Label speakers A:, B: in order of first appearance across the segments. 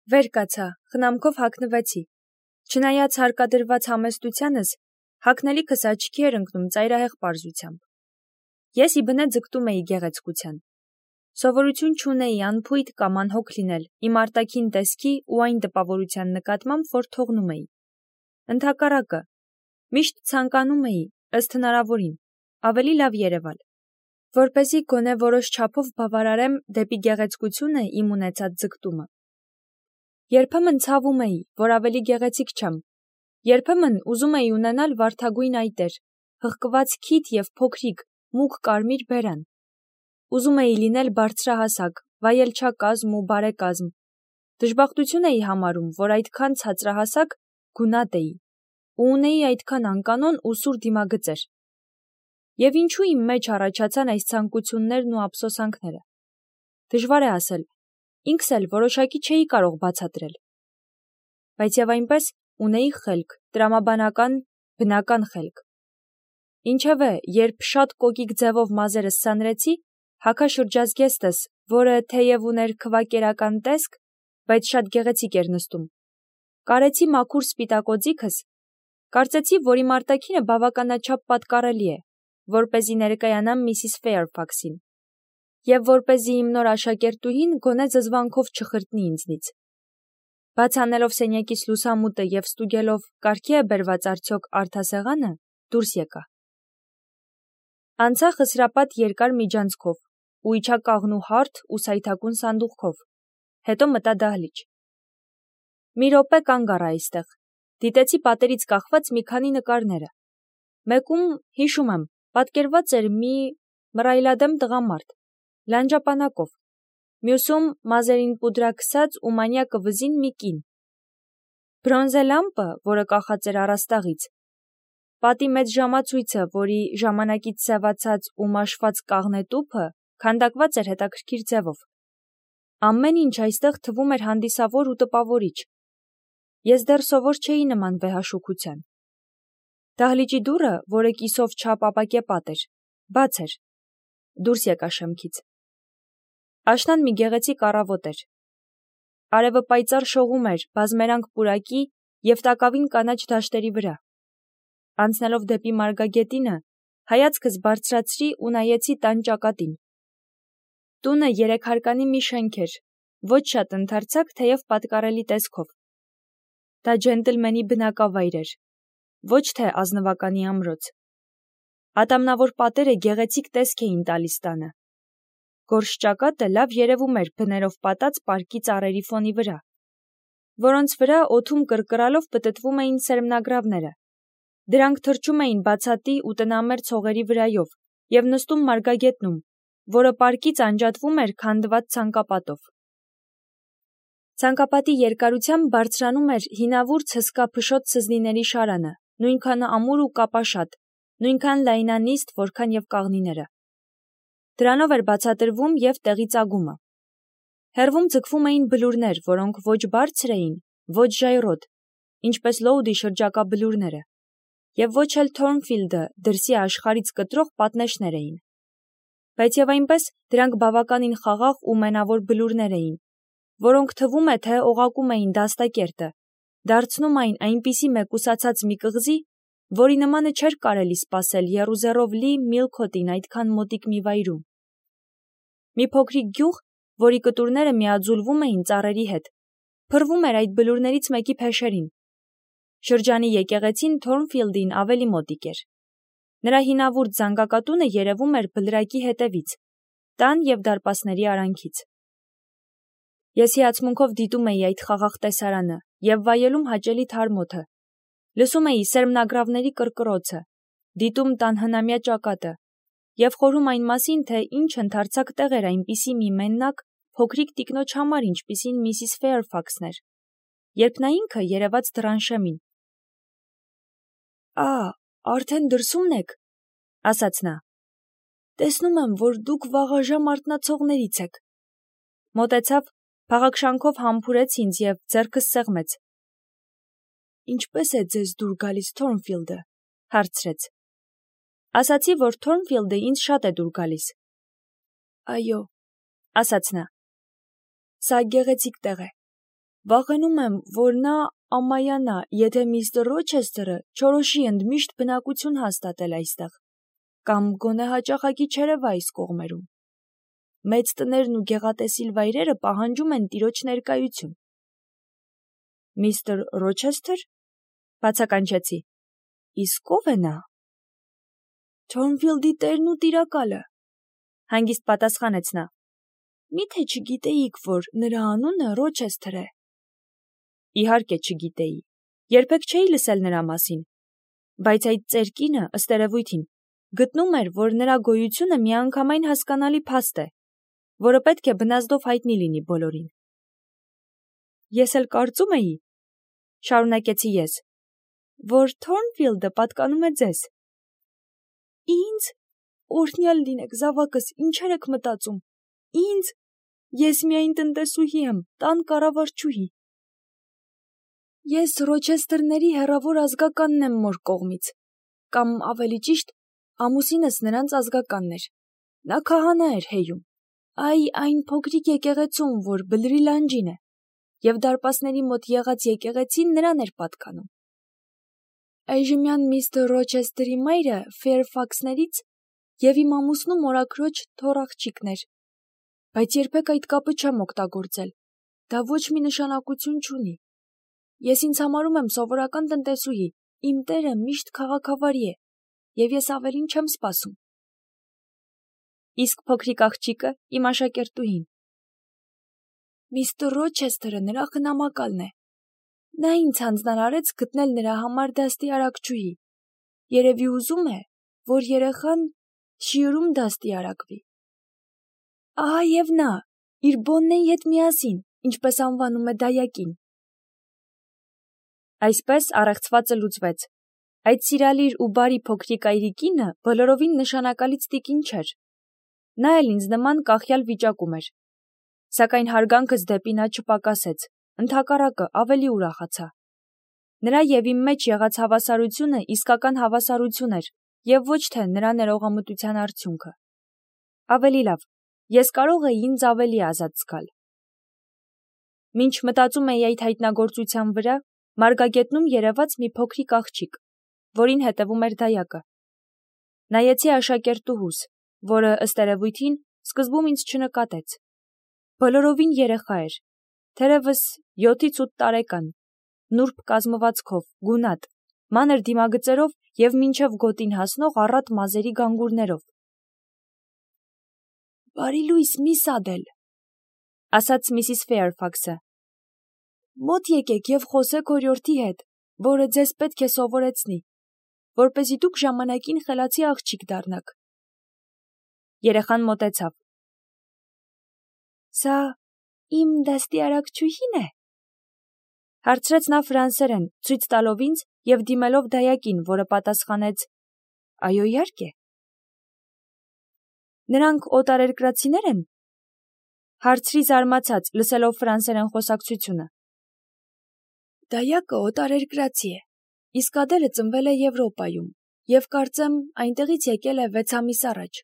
A: Վեր կացա, խնամքով հագնվեցի։ Չնայած հարկադրված համեստությանս, հագնելիքս աչքի էր ընկնում ծայրահեղ պարզությամբ։ Ես իբնե ձգտում էի գեղեցկության։ Սովորություն չունեի անփույթ կամ անհոգ լինել իմ արտաքին տեսքի ու այն տպավորության նկատմամբ, որ թողնում էի։ Ընդհակառակը, միշտ ցանկանում էի, ըստ հնարավորին, ավելի լավ երևալ, որպեսզի գոնե որոշ չափով բավարարեմ դեպի գեղեցկությունը իմ ունեցած ձգտումը։ Երբեմն ցավում էի, որ ավելի գեղեցիկ չեմ, երբեմն ուզում էի ունենալ վարդագույն այտեր, հղկված քիթ և փոքրիկ, մուգ կարմիր բերան։ Ուզում էի լինել բարձրահասակ, վայելչակազմ ու բարեկազմ։ Դժբախտություն էի համարում, որ այդքան ցածրահասակ գունատ էի ու ունեի այդքան անկանոն ու սուր դիմագծեր։ Եվ ինչու իմ մեջ առաջացան այս ցանկություններն ու ափսոսանքները։ Դժվար է ասել, ինքս էլ որոշակի չէի կարող բացատրել։ Բայց եւ այնպես ունեի խելք, տրամաբանական, բնական խելք։ Ինչևէ, երբ շատ կոկիկ ձևով մազերս սանրեցի, հագաշրջազգեստս, որը թեև ուներ քվակերական տեսք, բայց շատ գեղեցիկ էր նստում, կարեցի մաքուր սպիտակ օձիքս, կարծեցի, որ իմ արտաքինը բավականաչափ պատկառելի է, որպեսզի ներկայանամ Միսիս Ֆեյրֆաքսին, և որպեսզի իմ նոր աշակերտուհին գոնե զզվանքով չխրտնի ինձնից։ Բաց անելով սենյակից լուսամուտը և ստուգելով կարգի է բերված արդյոք արդասեղանը, դուրս եկա։ Անցա խսրապատ երկար միջանցքով ու իջա կաղնու հարթ ու սայթաքուն սանդուղքով, հետո մտա դահլիճ։ Մի րոպե կանգ առա այստեղ, դիտեցի պատերից կախված մի քանի նկարները։ Մեկում, հիշում եմ, պատկերված էր մի մռայլադեմ տղամարդ, լանջապանակով, մյուսում մազերին պուդրա քսած ու մանյակը վզին մի կին։ Բրոնզե լամպը, որը կախած էր առաստաղից, պատի մեծ ժամացույցը, որի ժամանակից սևացած ու մաշված կաղնե տուփը քանդակված էր հետաքրքիր ձևով։ Ամեն ինչ այստեղ թվում էր հանդիսավոր ու տպավորիչ։ Ես դեռ սովոր չէի նման վեհաշուքության։ Դահլիճի դուռը, որը կիսով չափ ապակեպատ էր, բաց էր։ Դուրս եկա շեմքից։ Աշնան մի գեղեցիկ առավոտ էր։ Արևը պայծառ շողում էր բազմերանգ պուրակի և տակավին կանաչ դաշտերի վրա։ Անցնելով դեպի Մարգագետինը, հայացքս բարձրացրի ու նայեցի տան ճակատին։ Տունը երեքհարկանի մի շենք էր, ոչ շատ ընդարձակ, թեև պատկառելի տեսքով։ Դա ջենտլմենի բնակավայր էր, ոչ թե ազնվականի ամրոց։ Ատամնավոր պատերը գեղեցիկ տեսք էին տալիս տանը։ Գորշ ճակատը լավ երևում էր բներով պատած պարկի ծառերի ֆոնի վրա, որոնց վրա օդում կրկռալով պտտվում էին սերմնագրավները։ Դրանք թռչում էին բացատի ու տնամերձ հողերի վրայով և նստում Մարգագետնում, որը պարկից անջատվում էր քանդված ցանկապատով։ Ցանկապատի երկարությամբ բարձրանում էր հինավուրց հսկա փշոտ սզնիների շարանը, նույնքան ամուր ու կապաշատ, նույնքան լայնանիստ, որքան և կաղնիները։ Դրանով էր բացատրվում և տեղի ծագումը։ Հեռվում ձգվում էին բլուրներ, որոնք ոչ բարձր էին, ոչ ժայռոտ, ինչպես Լոուդի շրջակա բլուրները, և ոչ էլ Թորնֆիլդը դրսի աշխարհից կտրող պատնեշներ էին։ Բայց և այնպես դրանք բավականին խաղաղ ու մենավոր բլուրներ էին, որոնք թվում է, թե օղակում էին դաստակերտը, դարձնում այն այնպիսի մեկուսացած մի կղզի, որի նմանը չէր կարելի սպասել եռուզեռով լի Միլքոթին այդքան մոտիկ մի վայրում։ Մի փոքրիկ գյուղ, որի կտուրները միաձուլվում էին ծառերի հետ, փռվում էր այդ բլուրներից մեկի փեշերին։ Շրջանի եկեղեցին Թորնֆիլդին ավելի մոտիկ էր։ Նրա հինավուրց զանգակատունը երևում էր բլրակի հետևից, տան և դարպասների արանքից։ Ես հիացմունքով դիտում էի այդ խաղաղ տեսարանը և վայելում հաճելի թարմոթը։ Լսում էի սերմնագրավների կռկռոցը, դիտում տան հնամյա ճակատը և խորհում այն մասին, թե ինչ ընդարձակ տեղ էր այնպիսի մի մեննակ, փոքրիկ տիկնոջ համար, ինչպիսին Միսիս Ֆեյրֆաքսն էր, երբ նա ինքը երևաց դռան շեմին։ Արդեն դրսումն եք, ասաց նա։ Տեսնում եմ, որ դուք վաղաժամ արթնացողներից եք։ Մոտեցավ, փաղաքշանքով համբուրեց ինձ և ձեռքս սեղմեց։ Ինչպե՞ս է ձեզ դուր գալիս Թորնֆիլդը, հարցրեց։ Ասացի, որ Թորնֆիլդը ինձ շատ է դուր գալիս։ Այո, ասաց նա։ Սա գեղեցիկ տեղ է։ Վախենում եմ, որ նա ամայանա, եթե միստր Ռոչեսթերը չորոշի ընդմիշտ բնակություն հաստատել այստեղ, կամ գոնե հաճախակի չերևա այս կողմերում։ Մեծ տներն ու գեղատեսիլ վայրերը պահանջում են տիրոջ ներկայություն։ Միստր Ռոչեսթեր, բացականչեցի, իսկ ով է նա։ Թորնֆիլդի տերն ու տիրակալը, հանգիստ պատասխանեց նա։ Միթե չգիտեիք, որ նրա անունը Ռոչեսթեր է։ Իհարկե չգիտեի, երբեք չէի լսել նրա մասին, բայց այդ ծեր կինը, ըստ երևույթին, գտնում էր, որ նրա գոյությունը միանգամայն հասկանալի փաստ է, որը պետք է բնազդով հայտնի լինի բոլորին։ Ես էլ կարծում էի, շարունակեցի ես, որ Թորնֆիլդը պատկանում է ձեզ։ Ինձ, օրհնյալ լինեք, զավակս, ինչեր եք մտածում։ Ինձ, ես միայն տնտեսուհի եմ, տան կառավարչուհի։ Ես Ռոչեսթերների հեռավոր ազգականն եմ մոր կողմից, կամ ավելի ճիշտ, ամուսինս նրանց ազգականն էր։ Նա քահանա էր հեյում, այն փոքրիկ եկեղեցում, որ Բլրի լանջին է, եւ դարպասների մոտ եղած եկեղեցին նրան էր պատկանում։ Այժմյան միստր Ռոչեսթերի մայրը Ֆեյրֆաքսներից եւ իմ ամուսնու մորաքրոջ թոռ աղջիկն էր, բայց երբեք այդ կապը չեմ օգտագործել, դա ոչ մի նշանակություն չունի։ Ես ինձ համարում եմ սովորական տնտեսուհի, իմ տերը միշտ քաղաքավարի է, եւ ես ավելին չեմ սպասում։ Իսկ փոքրիկ աղջիկը իմ աշակերտուհին։ Միստր Ռոչեսթերը նրա խնամակալն է։ Նա ինձ հանձնարարեց գտնել նրա համար դաստիարակչուհի։ Երևի ուզում է, որ երեխան շիուրում դաստիարակվի։ Ահա եւ նա, իր Բոննեի հետ միասին, ինչպես անվանում է դայակին։ Այսպես առեղծվածը լուծվեց։ Այդ սիրալիր ու բարի փոքրիկ այրիկինը բոլորովին նշանակալից տիկին չէր։ Նա էլ ինձ նման կախյալ վիճակում էր։ Սակայն հարգանքս դեպի նա չպակասեց, ընդհակառակը ավելի ուրախացա։ Նրա եւ իմ մեջ եղած հավասարությունը իսկական հավասարություն էր եւ ոչ թե նրա ներողամտության արդյունքը։ Ավելի լավ, ես կարող էի ինձ ավելի ազատ զգալ։ Մինչ մտածում էի այդ հայտնագործության վրա, մարգագետնում երևաց մի փոքրիկ աղջիկ, որին հետևում էր դայակը։ Նայեցի աշակերտուհուս, որը ըստ երևույթին սկզբում ինձ չնկատեց։ Բոլորովին երեխա էր, թերևս 7-ից 8 տարեկան, նուրբ կազմվածքով, գունատ, մանր դիմագծերով եւ մինչև գոտին հասնող առատ մազերի գանգուրներով։ Բարի լույս, միս Ադել, ասաց միսիս Ֆեյրֆաքսը։ Մոտ եկեք եւ խոսեք օրիորդի հետ, որը ձեզ պետք է սովորեցնի, որպեսզի դուք ժամանակին խելացի աղջիկ դառնաք։ Երեխան մոտեցավ։ Սա իմ դաստիարակչուհին է, հարցրեց նա ֆրանսերեն, ցույց տալով ինձ եւ դիմելով դայակին, որը պատասխանեց. Այո, իհարկե։ Նրանք օտարերկրացիներ են։ Հարցրի զարմացած, լսելով ֆրանսերեն խոսակցությունը։ Դայակը օտարերկրացի է, իսկ Ադելը ծնվել է Եվրոպայում եւ կարծեմ այնտեղից եկել է 6 ամիս առաջ։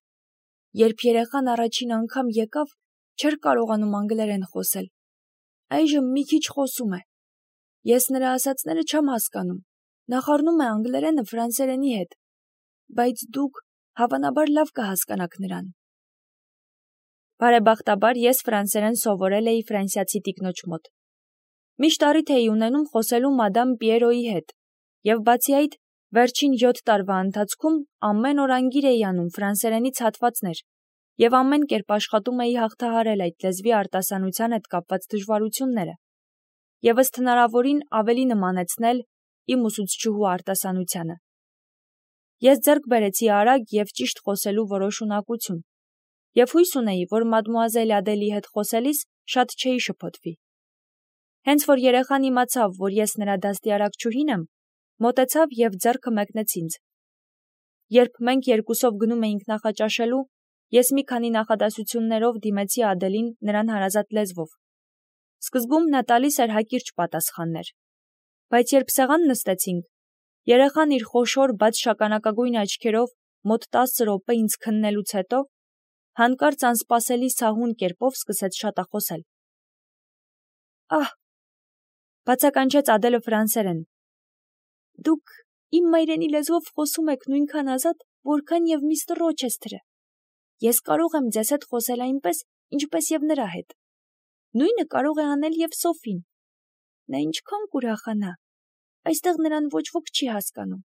A: Երբ երեխան առաջին անգամ եկավ, չէր կարողանում անգլերեն խոսել։ Այժմ մի քիչ խոսում է։ Ես նրա ասածները չեմ հասկանում։ Նախառնում է անգլերենը ֆրանսերենի հետ, բայց դուք հավանաբար լավ կհասկանաք նրան։ Բարեբախտաբար ես ֆրանսերեն սովորել էի ֆրանսիացի տիկնոջ մոտ։ Միշտ առիթ էի ունենում խոսելու մադամ Պիերոյի հետ, եւ բացի այդ, վերջին 7 տարվա ընթացքում ամեն օր անգիր էի անում ֆրանսերենից հատվածներ, եւ ամեն կերպ աշխատում էի հաղթահարել այդ լեզվի արտասանության հետ կապված դժվարությունները, եւ ըստ հնարավորին ավելի նմանեցնել իմ ուսուցչուհու արտասանությանը։ Ես ձեռք բերեցի արագ եւ ճիշտ խոսելու որոշ ունակություն, եւ հույս ունեի, որ մադմուազել Ադելի հետ խոսելիս շատ չէի շփոթվի։ Հենց որ երեխան իմացավ, որ ես նրա դաստիարակչուհին եմ, մոտեցավ եւ ձեռքը մեկնեց ինձ։ Երբ մենք երկուսով գնում էինք նախաճաշելու, ես մի քանի նախադասություններով դիմեցի Ադելին նրան հարազատ լեզվով։ Սկզբում նա տալիս էր հակիրճ պատասխաններ, բայց երբ սեղան նստեցինք, երեխան իր խոշոր բաց շագանակագույն աչքերով մոտ 10 րոպե ինձ քննելուց հետո հանկարծ անսպասելի սահուն կերպով սկսեց շատախոսել։ Ահ, Բացականչեց Ադելը ֆրանսերեն։ Դուք իմ մայրենի լեզվով խոսում եք նույնքան ազատ, որքան եւ միստր Ռոչեսթերը։ Ես կարող եմ ձեզ հետ խոսել այնպես, ինչպես եւ նրա հետ։ Նույնը կարող է անել եւ Սոֆին։ Նա ինչքան կուրախանա։ Այստեղ նրան ոչ ոք չի հասկանում։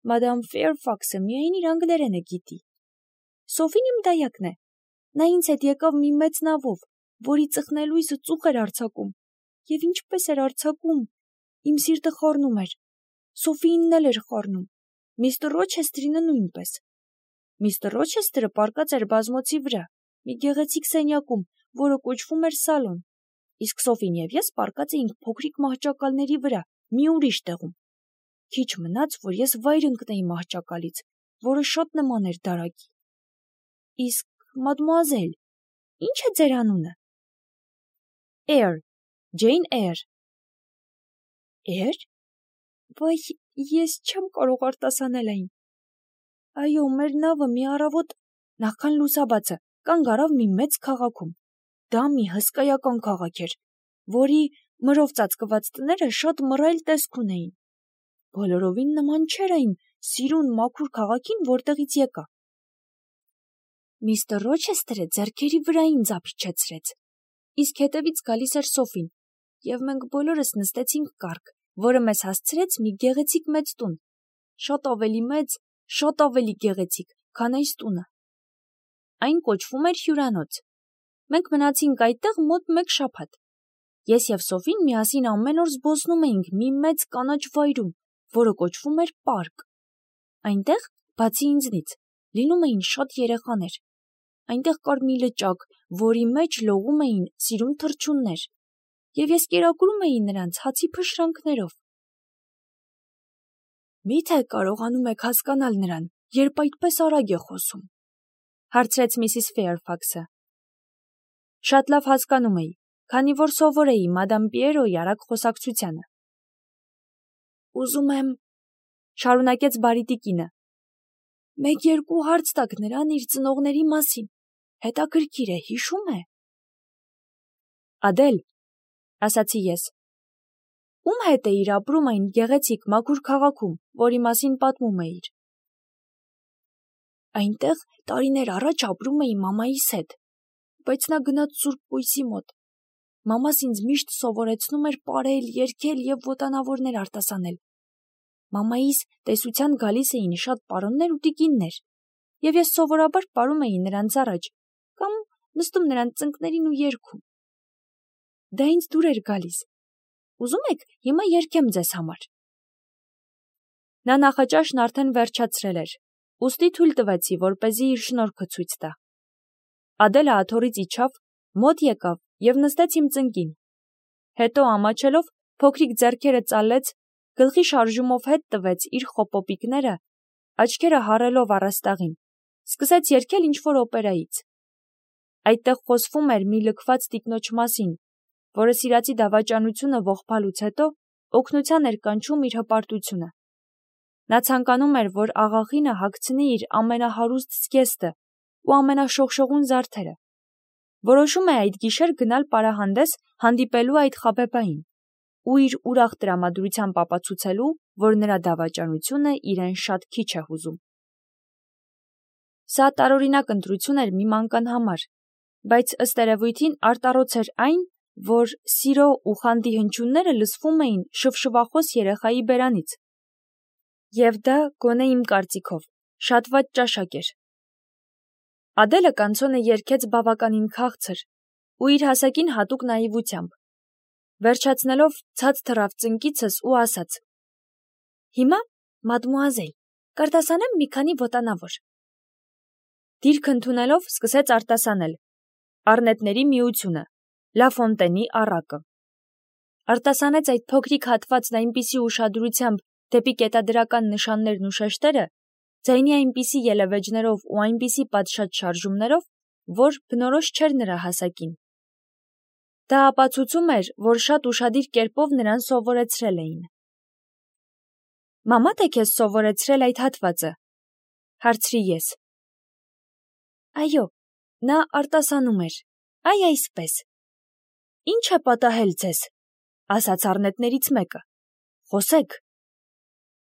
A: Մադամ Ֆեյրֆաքսը միայն իր անգլերենը գիտի։ Սոֆին իմ դայակն է։ Նա ինձ հետ եկավ մի մեծ նավով, որի ծխնելույսը ծուխ էր արձակում, եւ ինչպես էր արձակում, իմ սիրտը խառնում էր։ Սոֆիինն էլ էր խառնում, միստր Ռոչեստրինը նույնպես։ Միստր Ռոչեստրը պառկած էր բազմոցի վրա, մի գեղեցիկ սենյակում, որը կոչվում էր սալոն, իսկ Սոֆին եւ ես պառկած էինք փոքրիկ մահճակալների վրա, մի ուրիշ տեղում։ Քիչ մնաց, որ ես վայր ընկնեի մահճակալից, որը շատ նման էր դարակի։ Իսկ մադմուազել, ի՞նչ է ձեր անունը։ Էյր, Ջեյն Էյր։ Էյր։ Վայ, ես չեմ կարող արտասանել այն։ Այո, մեր նավը մի առավոտ նախքան լուսաբացը կանգ առավ մի մեծ քաղաքում։ Դա մի հսկայական քաղաք էր, որի մրով ծածկված տները շատ մռայլ տեսք ունեին։ Բոլորովին նման չէր այն սիրուն մաքուր քաղաքին, որտեղից եկա։ Միստր Ռոչեսթերը ձեռքերի վրա ինձ ափիչեցրեց, իսկ հետևից գալիս էր Սոֆին, եւ մենք բոլորս նստեցինք կառք, որը մեզ հասցրեց մի գեղեցիկ մեծ տուն, շատ ավելի մեծ, շատ ավելի գեղեցիկ, քան այս տունը։ Այն կոչվում էր հյուրանոց։ Մենք մնացինք այդտեղ մոտ 1 շաբաթ։ Ես եւ Սոֆին միասին ամեն օր զբոսնում էինք մի մեծ կանաչ վայրում, որը կոչվում էր պարկ։ Այնտեղ, բացի ինձնից, լինում էին շատ երեխաներ։ Այնտեղ կար մի լճակ, որի մեջ լողում էին սիրուն թռչուններ, եւ ես կերակրում էի նրանց հացի փշրանքներով։ Միթե կարողանում եք հասկանալ նրան, երբ այդպես արագ է խոսում, հարցրեց միսիս Ֆեյրֆաքսը։ Շատ լավ հասկանում էի, քանի որ սովոր էի մադամ Պիերոյի արագ խոսակցությանը։ Ուզում եմ, շարունակեց բարիտիկինը, 1-2 հարց տաք նրան իր ծնողների մասին, հետաքրքիր է, հիշում է։ Ադել, ասացի ես, ում հետ էիր ապրում այն գեղեցիկ մաքուր քաղաքում, որի մասին պատմում էիր։ Այնտեղ տարիներ առաջ ապրում էի մամայիս հետ, բայց նա գնաց Սուրբ Կույսի մոտ։ Մամաս ինձ միշտ սովորեցնում էր պարել, երգել եւ ոտանավորներ արտասանել։ Մամայիս տեսության գալիս էին շատ պարոններ ու տիկիններ, եւ ես սովորաբար պարում էի նրանց առաջ, կամ նստում նրանց ծնկներին ու երգում։ Դա ինձ դուր էր գալիս։ Ուզում եք, հիմա երգեմ ձեզ համար։ Նա նախաճաշն արդեն վերջացրել էր, ուստի թույլ տվեցի, որպեսզի իր շնորհքը ցույց տա։ Ադելը աթոռից իջավ, մոտ եկավ եւ նստեց իմ ծնկին։ Հետո ամաչելով փոքրիկ ձեռքերը ծալեց, գլխի շարժումով հետ տվեց իր խոպոպիկները, աչքերը հառելով առաստաղին, սկսեց երգել ինչ-որ օպերայից։ Այդտեղ խոսվում էր մի լքված տիկնոջ մասին, որը սիրածի դավաճանությունը ողբալուց հետո օգնության էր կանչում իր հպարտությունը։ Նա ցանկանում էր, որ աղախինը հագցնի իր ամենահարուստ զգեստը ու ամենաշողշողուն զարդերը։ Որոշում է այդ գիշեր գնալ պարահանդես հանդիպելու այդ խաբեբային ու իր ուրախ տրամադրությամբ ապացուցելու, որ նրա դավաճանությունը իրեն շատ քիչ է հուզում։ Սա տարօրինակ ընտրություն էր մի մանկան համար, բայց ըստ երևույթին արտառոց էր այն, որ սիրո ու խանդի հնչյունները լսվում էին շվշվախոս երեխայի բերանից։ Եվ դա, գոնե իմ կարծիքով, շատ վատ ճաշակ էր։ Ադելը կանցոնը երգեց բավականին քաղցր ու իր հասակին հատուկ նաիվությամբ։ Վերջացնելով ցած թռավ ծնկիցս ու ասաց. Հիմա, մադմուազել, կարտասանեմ մի քանի ոտանավոր։ Դիրք ընդունելով սկսեց արտասանել Առնետների միությունը, Լա Ֆոնտենի առակը։ Արտասանեց այդ փոքրիկ հատվածն այնպիսի ուշադրությամբ դեպի կետադրական նշաններն ու շեշտերը, ձայնի այնպիսի ելևէջներով ու այնպիսի պատշաճ շարժումներով, որ բնորոշ չէր նրա հասակին։ Դա ապացուցում էր, որ շատ ուշադիր կերպով նրան սովորեցրել էին։ Մամա՞դ է քեզ սովորեցրել այդ հատվածը, հարցրի ես։ Այո, նա արտասանում էր, այ այսպես։ Ինչ է պատահել ձեզ, ասաց առնետներից մեկը։ Խոսեք։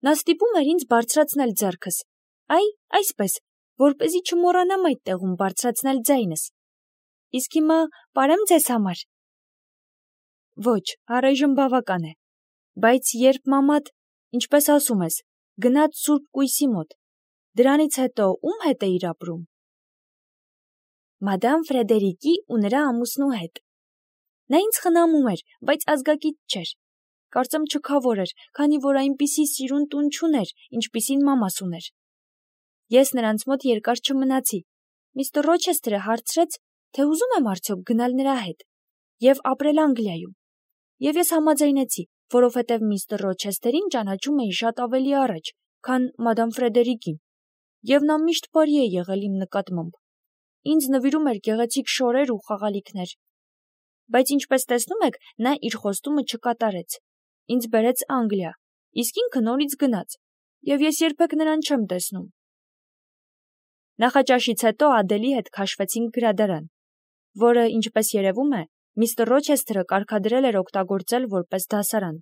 A: Նա ստիպում էր ինձ բարձրացնել ձեռքս, այսպես, որպեսզի չմոռանամ այդ տեղում բարձրացնել ձայնս։ Իսկ հիմա պարեմ ձեզ համար։ Ոչ, առայժմ բավական է, բայց երբ մամադ, ինչպես ասում ես, գնաց Սուրբ Կույսի մոտ, դրանից հետո ում հետ էիր ապրում։ Մադամ Ֆրեդերիկի ու նրա ամուսնու հետ։ Նա ինձ խնամում էր, բայց ազգակից չէր։ Կարծեմ չքավոր էր, քանի որ այնպիսի սիրուն տուն չուներ, ինչպիսին մամաս ուներ։ Ես նրանց մոտ երկար չմնացի։ Միստր Ռոչեսթերը հարցրեց, թե ուզում եմ արդյոք գնալ նրա հետ և ապրել Անգլիայում։ Եվ ես համաձայնեցի, որովհետև միստր Ռոչեսթերին ճանաչում էի շատ ավելի առաջ, քան մադամ Ֆրեդերիկին, և նա միշտ բարի է եղել իմ նկատմամբ։ Ինձ նվիրում էր գեղեցիկ շորեր ու խաղալիքներ։ Բայց ինչպես տեսնում եք, նա իր խոստումը չկատարեց։ Ինձ բերեց Անգլիա, իսկ ինքը նորից գնաց, և ես երբեք նրան չեմ տեսնում։ Նախաճաշից հետո Ադելի հետ քաշվեցինք գրադարան, որը, ինչպես երևում է, միստր Ռոչեսթերը կարգադրել էր օգտագործել որպես դասարան։